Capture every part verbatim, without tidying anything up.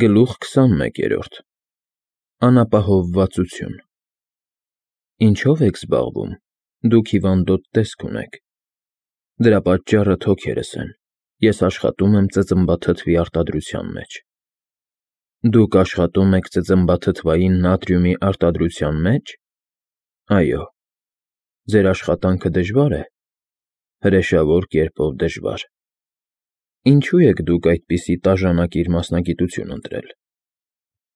Գլուխ քսանմեկերորդ Անապահովվածություն Ինչո՞վ եք զբաղվում, դուք հիվանդոտ տեսք ունեք, դրա պատճառը թոքերս են, ես աշխատում եմ ծծմբաթթվի արտադրության մեջ։ Դուք աշխատում եք ծծմբաթթվային նատրիումի արտադրության մեջ։ Այո։ Ձեր աշխատանքը դժվար է։ Հրեշավոր կերպով դժվար։ Ինչու եք դուք այդպիսի տաժանակիր մասնագիտություն ընտրել։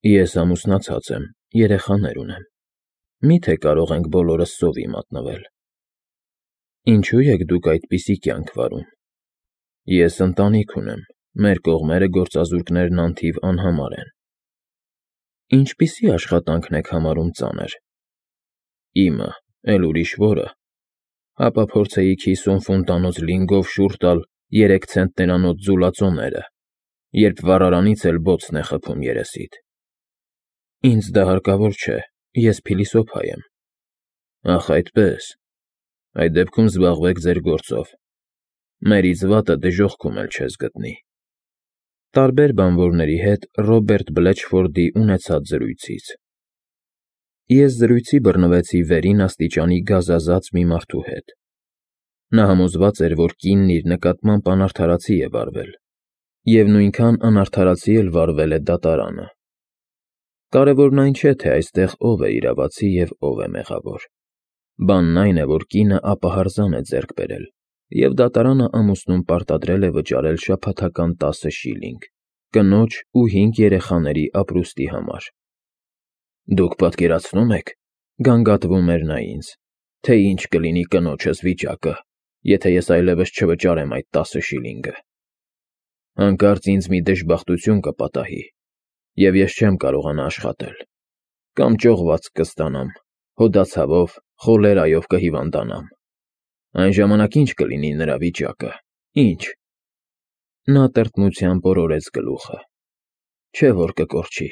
Ես ամուսնացած եմ, երեխաներ ունեմ։ Մի՞թե կարող ենք բոլորս սովի մատնվել։ Ինչու եք դուք այդպիսի կյանք վարում։ Ես ընտանիք ունեմ, մեր կողմերը գործազուրկներն անթիվ անհամար են։ Ինչպիսի աշխատանքն եք համարում ծանր։ Իմը, էլ ուրիշ որը։ Հապա փորձեիք հիսուն ֆունտանոց լինգով շուռ տալ երեք ցենտներանոց ձուլածոները, երբ վառարանից էլ բոցն է խփում երեսիդ։ Ինձ դա հարկավոր չէ, ես փիլիսոփա եմ։ Ախ, այդպես։ Այդ դեպքում զբաղվեք ձեր գործով։ Մերից վատը դժոխքում էլ չես գտնի։ Տարբեր բանվորների հետ Ռոբերտ Բլեչֆորդի ունեցած զրույցից։ Ես զրույցի բռնվեցի վերին աստիճանի գազազած մի մարդու հետ։ Նա համոզված էր, որ կինն իր նկատմամբ անարդարացի է վարվել, և նույնքան անարդարացի էլ վարվել է դատարանը։ Կարևորն այն չէ, թե այստեղ ով է իրավացի և ով է մեղավոր։ Բանն այն է, որ կինը ապահարզան է ձեռք բերել, և դատարանը ամուսնուն պարտադրել է վճարել շաբաթական տասը շիլինգ՝ կնոջ ու հինգ երեխաների ապրուստի համար։ Դուք պատկերացնո՞ւմ եք, գանգատվում էր նա ինձ, թե ինչ կլինի կնոջս վիճակը, եթե ես այլևս չվճարեմ այդ տասը շիլինգը։ Հանկարծ ինձ մի դժբախտություն կպատահի, և ես չեմ կարողանա աշխատել, կամ ճողված կստանամ, հոդացավով, խոլերայով կհիվանդանամ։ Այն ժամանակ ի՞նչ կլինի նրա վիճակը, ի՞նչ։ Նա տրտմությամբ օրորեց գլուխը։ Չէ՞ որ կկորչի։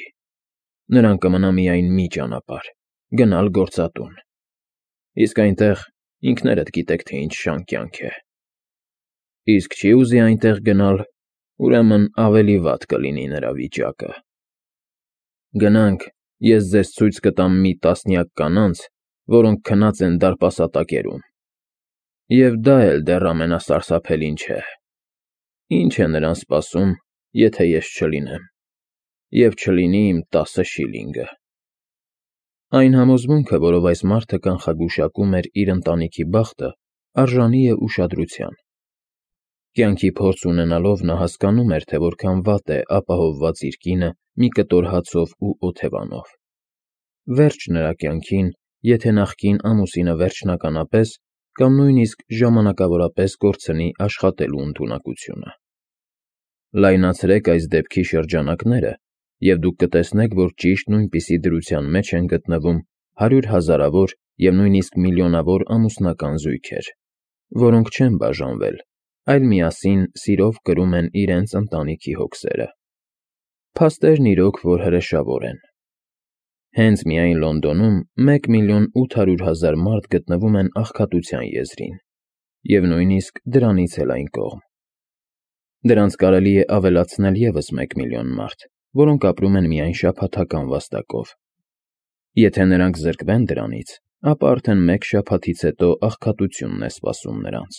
Նրան կմնա միայն մի ճանապարհ՝ գնալ գործատուն։ Իսկ այնտեղ ինքներդ գիտեք, թե ինչ շան կյանք է։ Իսկ չի ուզի այնտեղ գնալ, ուրեմն ավելի վատ կլինի նրա վիճակը։ Գնանք, ես ձեզ ցույց կտամ մի տասնյակ կանանց, որոնք քնած են դարպասատակերում։ Եվ դա էլ դեռ ամենասարսափելին չէ։ Ինչ է նրան սպասում, եթե ես չլինեմ, և չլինի իմ տասը շիլինգը։ Այն համոզմունքը, որով այս մարդը կանխագուշակում էր իր ընտանիքի բախտը, արժանի է ուշադրության։ Կյանքի փորձ ունենալով նա հասկանում էր, թե որքան վատ է ապահովված իր կինը մի կտոր հացով ու օթևանով։ Վերջ նրա կյանքին, եթե նախկին ամուսինը վերջնականապես կամ նույնիսկ ժամանակավորապես կորցնի աշխատելու ընդունակությունը։ Լայնացրեք այս դեպքի շրջանակները, և դուք կտեսնեք, որ ճիշտ նույնպիսի դրության մեջ են գտնվում հարյուր հազարավոր և նույնիսկ միլիոնավոր ամուսնական զույգեր, որոնք չեն բաժանվել, այլ միասին սիրով կրում են իրենց ընտանիքի հոգսերը։ Փաստերն իրոք որ հրեշավոր են։ Հենց միայն Լոնդոնում մեկ միլիոն ութ հարյուր հազար մարդ գտնվում են աղքատության եզրին, և նույնիսկ դրանից էլ այն կողմ։ Դրանց կարելի է ավելացնել ևս մեկ միլիոն մարդ, որոնք ապրում են միայն շաբաթական վաստակով։ Եթե նրանք զրկվեն դրանից, ապա արդեն մեկ շաբաթից հետո աղքատությունն է սպասում նրանց։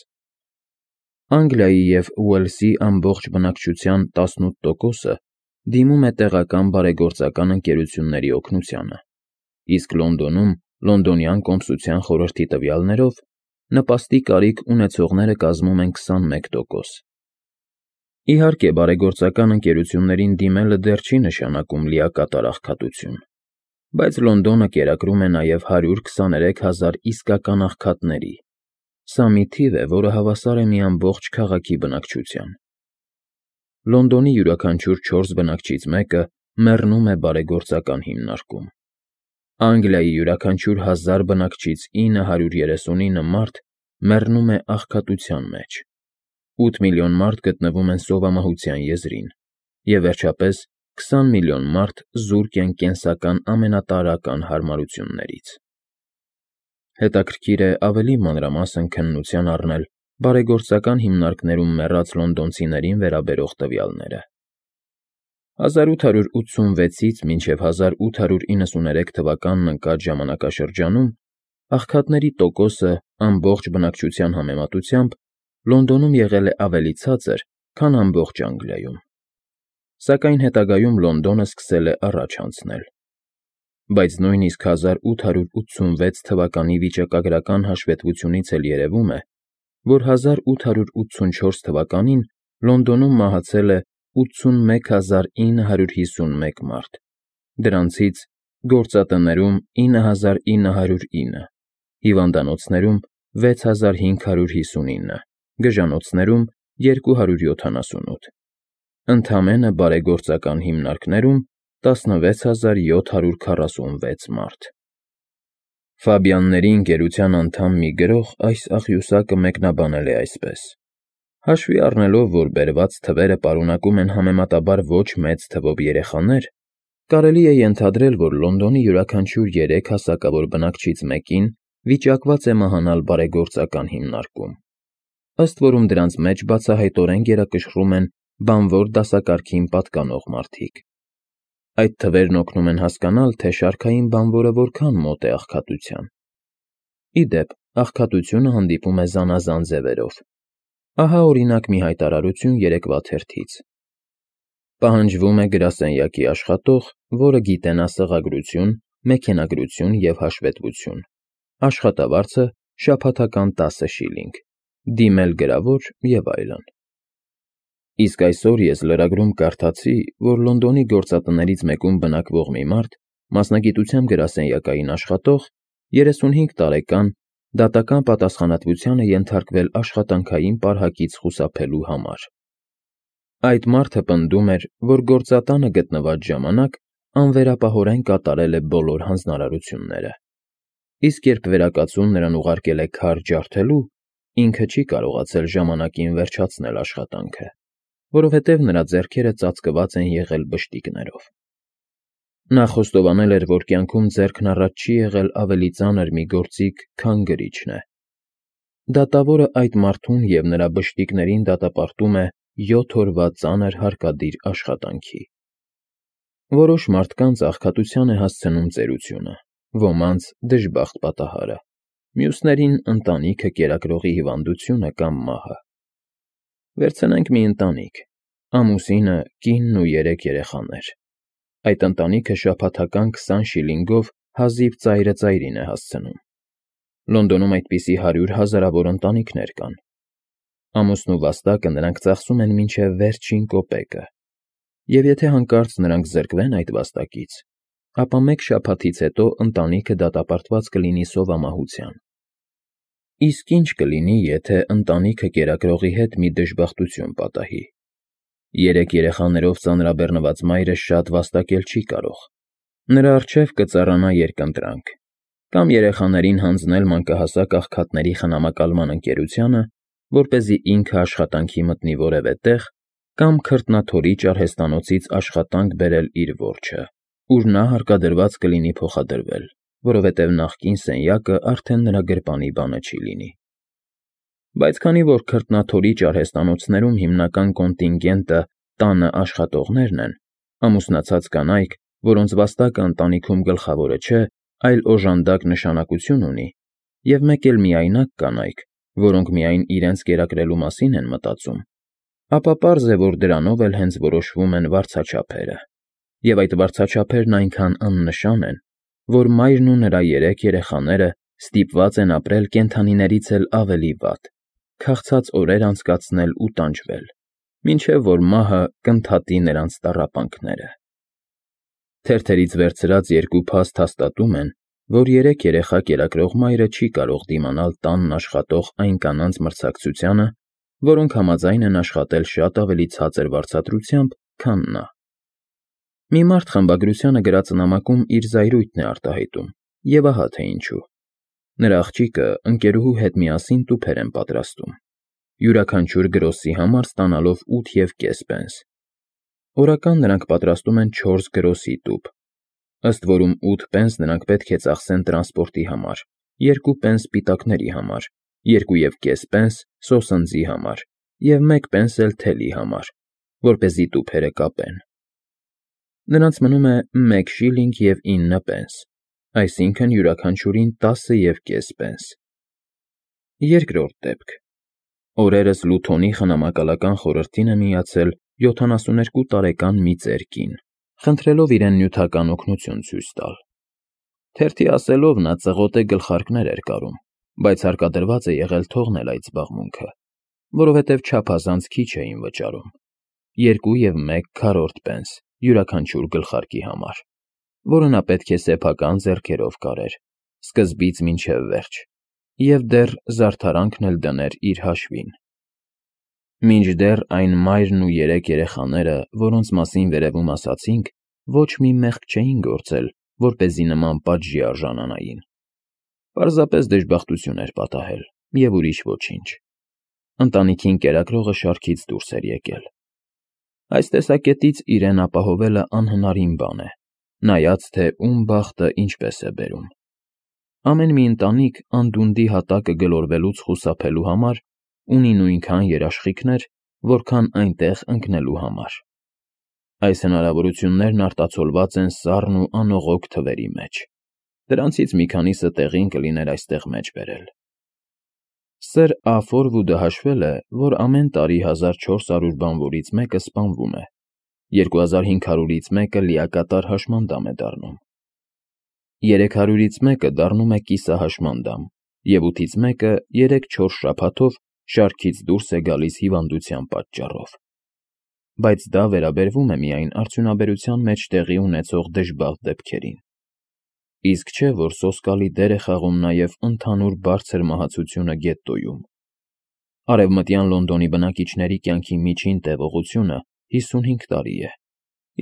Անգլիայի և Ուելսի ամբողջ բնակչության տասնութ տոկոսը դիմում է տեղական բարեգործական ընկերությունների օգնությանը, իսկ Լոնդոնում Լոնդոնյան կոմսության խորհրդի տվյալներով նպաստի կարիք ունեցողները կազմում են քսանմեկ տոկոս։ Իհարկե, բարեգործական ընկերություններին դիմելը դեռ չի նշանակում լիակատար աղքատություն, բայց Լոնդոնը կերակրում է նաև հարյուր քսաներեք հազար իսկական աղքատների։ Սա մի թիվ է, որը հավասար է մի ամբողջ քաղաքի բնակչության։ Լոնդոնի յուրաքանչյուր չորս բնակչից մեկը մեռնում է բարեգործական հիմնարկում։ Անգլիայի յուրաքանչյուր հազար բնակչից ինը հարյուր երեսունինը մարդ մեռնում է աղքատության մեջ։ Ութ միլիոն մարդ գտնվում են սովամահության եզրին, և վերջապես քսան միլիոն մարդ զուրկ են կենսական ամենատարրական հարմարություններից։ Հետաքրքիր է ավելի մանրամասն քննության առնել բարեգործական հիմնարկներում մեռած լոնդոնցիներին վերաբերող տվյալները։ հազար ութ հարյուր ութսունվեցից մինչև հազար ութ հարյուր իննսուներեք թվականն ընկած ժամանակաշրջանում աղքատների տոկոսը ամբողջ բնակչության համեմատությամբ Լոնդոնում եղել է ավելի ցածր, քան ամբողջ Անգլիայում, սակայն հետագայում Լոնդոնը սկսել է առաջ անցնել։ Բայց նույնիսկ հազար ութ հարյուր ութսունվեց թվականի վիճակագրական հաշվետվությունից էլ երևում է, որ հազար ութ հարյուր ութսունչորս թվականին Լոնդոնում մահացել է ութսունմեկ հազար ինը հարյուր հիսունմեկ մարդ, դրանցից գործատներում ինը հազար ինը հարյուր ինը, հիվանդանոցներում վեց հազար հինգ հարյուր հիսունինը, գժանոցներում երկու հարյուր յոթանասունութ, ընդամենը բարեգործական հիմնարկներում տասնվեց հազար յոթ հարյուր քառասունվեց մարդ։ Ֆաբյանների ընկերության անդամ մի գրող այս աղյուսակը մեկնաբանել է այսպես. հաշվի առնելով, որ բերված թվերը պարունակում են համեմատաբար ոչ մեծ թվով երեխաներ, կարելի է ենթադրել, որ Լոնդոնի յուրաքանչյուր երեք հասակավոր բնակչից մեկին վիճակված է մահանալ բարեգործական հիմնարկում, ըստ որում դրանց մեջ բացահայտորեն գերակշռում են բանվոր դասակարգին պատկանող մարդիկ։ Այդ թվերն օգնում են հասկանալ, թե շարքային բանվորը որքան մոտ է աղքատության։ Ի դեպ, աղքատությունը հանդիպում է զանազան ձևերով։ Ահա օրինակ մի հայտարարություն երեկվա թերթից. պահանջվում է գրասենյակի աշխատող, որը գիտենա սղագրություն, մեքենագրություն և հաշվետվություն, աշխատավարձը շաբաթական տասը շիլինգ, դիմել գրավոր և այլն։ Իսկ այսօր ես լրագրում կարդացի, որ Լոնդոնի գործատներից մեկում բնակվող մի մարդ, մասնագիտությամբ գրասենյակային աշխատող, երեսունհինգ տարեկան, դատական պատասխանատվության է ենթարկվել աշխատանքային պարհակից խուսափելու համար։ Այդ մարդը պնդում էր, որ գործատանը գտնված ժամանակ անվերապահորեն կատարել է բոլոր հանձնարարությունները, իսկ երբ վերակացուն նրան ուղարկել է քար ջարդելու, ինքը չի կարողացել ժամանակին վերջացնել աշխատանքը, որովհետև նրա ձեռքերը ծածկված են եղել բշտիկներով։ Նա խոստովանել էր, որ կյանքում ձեռքն առած չի եղել ավելի ծանր մի գործիք, քան գրիչն է։ Դատավորը այդ մարդուն և նրա բշտիկներին դատապարտում է յոթ օրվա ծանր հարկադիր աշխատանքի։ Որոշ մարդկանց աղքատության է հասցնում ծերությունը, ոմանց դժբախտ պատահարը, մյուսներին ընտանիքը կերակրողի հիվանդությունը կամ մահը։ Վերցնենք մի ընտանիք, ամուսինը, կինն ու երեք երեխաներ։ Այդ ընտանիքը շաբաթական քսան շիլինգով հազիվ ծայրը ծայրին է հասցնում։ Լոնդոնում այդպիսի հարյուր հազարավոր ընտանիքներ կան։ Ամուսնու վաստակը նրանք ծախսում են մինչև վերջին կոպեկը, և եթե հանկարծ նրանք զրկվեն այդ վաստակից, ապա մեկ շաբաթից հետո ընտանիքը դատապարտված կլինի սովամահության։ Իսկ ինչ կլինի, եթե ընտանիքը կերակրողի հետ մի դժբախտություն պատահի։ Երեք երեխաներով ծանրաբեռնված մայրը շատ վաստակել չի կարող։ Նրա առջև կծառանա երկընտրանք, կամ երեխաներին հանձնել մանկահասակ աղքատների խնամակալման ընկերությանը, որպեսզի ինքը աշխատանքի մտնի որևէ տեղ, կամ քրտնաթորիչ արհեստանոցից աշխատանք բերել իր որջը, ուր նա հարկադրված կլինի փոխադրվել, որովհետև նախկին սենյակը արդեն նրա գրպանի բանը չի լինի։ Բայց քանի որ քրտնաթորիչ արհեստանոցներում հիմնական կոնտինգենտը տանը աշխատողներն են, ամուսնացած կանայք, որոնց վաստակը ընտանիքում գլխավորը չէ, այլ օժանդակ նշանակություն ունի, և մեկ էլ միայնակ կանայք, որոնք միայն իրենց կերակրելու մասին են մտածում, ապա պարզ է, որ դրանով էլ հենց որոշվում են վարձաչափերը, և այդ վարձաչափերն այնքան աննշան են, որ մայրն ու նրա երեք երեխաները ստիպված են ապրել կենդանիներից էլ ավելի վատ, քաղցած օրեր անցկացնել ու տանջվել, մինչև որ մահը կընդհատի նրանց տառապանքները։ Թերթերից վերցրած երկու փաստ հաստատում են, որ երեք երեխա կերակրող մայրը չի կարող դիմանալ տանն աշխատող այն կանանց մրցակցությանը, որոնք համաձայն են աշխատել շատ ավելի ցածր վարձատրությամբ, քան նա։ Մի մարդ խմբագրությանը գրած նամակում իր զայրույթն է արտահայտում, և ահա թե ինչու։ Նրա աղջիկը ընկերուհու հետ միասին տուփեր են պատրաստում, յուրաքանչյուր գրոսի համար ստանալով ութ և կես պենս։ Օրական նրանք պատրաստում են չորս գրոսի տուփ, ըստ որում ութ պենս նրանք պետք է ծախսեն տրանսպորտի համար, երկու պենս պիտակների համար, երկու և կես պենս սոսնձի համար և մեկ պենս էլ թելի համար, որպեսզի տուփերը կապեն։ Նրանց մնում է մեկ շիլինգ և ինը պենս, այսինքն յուրաքանչյուրին տասը և կես պենս։ Երկրորդ դեպք. օրերս Լութոնի խնամակալական խորհրդին է միացել յոթանասուներկու տարեկան մի ծեր կին, խնդրելով իրեն նյութական օգնություն ցույց տալ։ Թերթի ասելով, նա ծղոտե գլխարկներ էր կարում, բայց հարկադրված է եղել թողնել այդ զբաղմունքը, որովհետև չափազանց քիչ էին վճարում՝ երկու և մեկ քառորդ պենս յուրաքանչյուր գլխարկի համար, որը նա պետք է սեփական ձեռքերով կարեր, սկզբից մինչև վերջ, և դեռ զարդարանքն էլ դներ իր հաշվին։ Մինչդեռ այն մայրն ու երեք երեխաները, որոնց մասին վերևում ասացինք, ոչ մի մեղք չէին գործել, որպեսզի նման պատժի արժանանային։ Պարզապես դժբախտություն էր պատահել, և ուրիշ ոչինչ։ Ընտանիքին կերակրողը շարքից դուրս էր եկել։ Այս տեսակետից իրեն ապահովելը անհնարին բան է, նայած թե ում բախտը ինչպես է բերում։ Ամեն մի ընտանիք անդունդի հատակը գլորվելուց խուսափելու համար ունի նույնքան երաշխիքներ, որքան այնտեղ ընկնելու համար։ Այս հնարավորություններն արտացոլված են սառն ու անողոք թվերի մեջ։ Դրանցից մի քանիսը տեղին կլիներ այստեղ մեջ բերել։ Սր Ա. հաշվել է, որ ամեն տարի հազար չորս հարյուր բանվորից մեկը սպանվում է, երկու հազար հինգ հարյուրից մեկը լիակատար հաշմանդամ է դառնում, երեք հարյուրից մեկը դառնում է կիսահաշմանդամ, և ութից մեկը երեք֊չորս շաբաթով շարքից դուրս է գալիս հիվանդության պատճառով։ Բայց դա վերաբերվում է միայն արդյունաբերության մեջ տեղի ունեցող դժբախտ դեպքերին։ Իսկ չէ, որ սոսկալի դեր է խաղում նաև ընդհանուր բարձր մահացությունը գետտոյում։ Արևմտյան Լոնդոնի բնակիչների կյանքի միջին տևողությունը հիսունհինգ տարի է,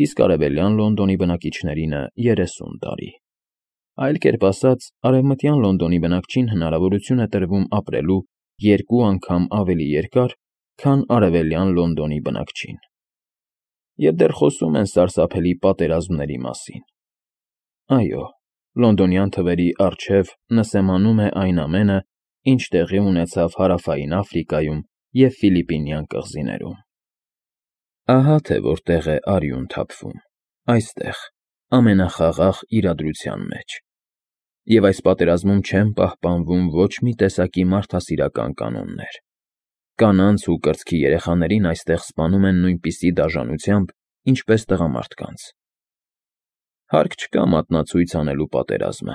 իսկ արևելյան Լոնդոնի բնակիչներինը երեսուն տարի։ Այլ կերպ ասած, արևմտյան Լոնդոնի բնակչին հնարավորություն է տրվում ապրելու երկու անգամ ավելի երկար, քան արևելյան Լոնդոնի բնակչին։ Եվ դեռ խոսում են սարսափելի պատերազմների մասին։ Այո, լոնդոնյան թվերի առջև նսեմանում է այն ամենը, ինչ տեղի ունեցավ Հարավային Աֆրիկայում և Ֆիլիպինյան կղզիներում։ Ահա թե որտեղ է արյուն թափվում, այստեղ, ամենախաղաղ իրադրության մեջ։ Եվ այս պատերազմում չեն պահպանվում ոչ մի տեսակի մարդասիրական կանոններ։ Կանանց ու կրծքի երեխաներին այստեղ սպանում են նույնպիսի դաժանությամբ, ինչպես տղամարդկանց։ Հարկ չկա մատնացույց անելու պատերազմը,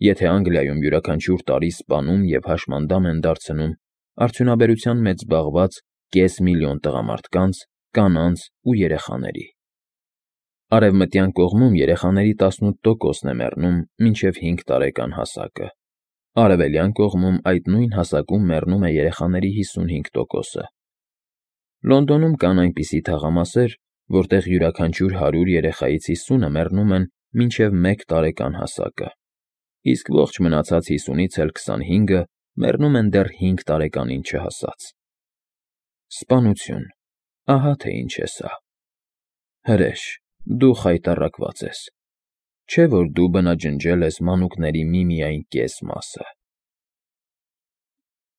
եթե Անգլիայում յուրաքանչյուր տարի սպանում և հաշմանդամ են դարձնում արդյունաբերության մեջ զբաղված կես միլիոն տղամարդկանց, կանանց ու երեխաների։ Արևմտյան կողմում երեխաների տասնութ տոկոսն է մեռնում մինչև հինգ տարեկան հասակը, արևելյան կողմում այդ նույն հասակում մեռնում է երեխաների հիսունհինգ տոկոսը։ Լոնդոնում կան այնպիսի թաղամասեր, որտեղ յուրաքանչյուր հարյուր երեխայից հիսունը մեռնում են մինչև մեկ տարեկան հասակը, իսկ ողջ մնացած հիսունից էլ քսանհինգը մեռնում են դեռ հինգ տարեկանին չհասած։ Սպանություն, ահա թե ինչ է սա։ Հրեշ, դու խայտառակված ես, չէ՞ որ դու բնաջնջել ես մանուկների միմիայն կես մասը։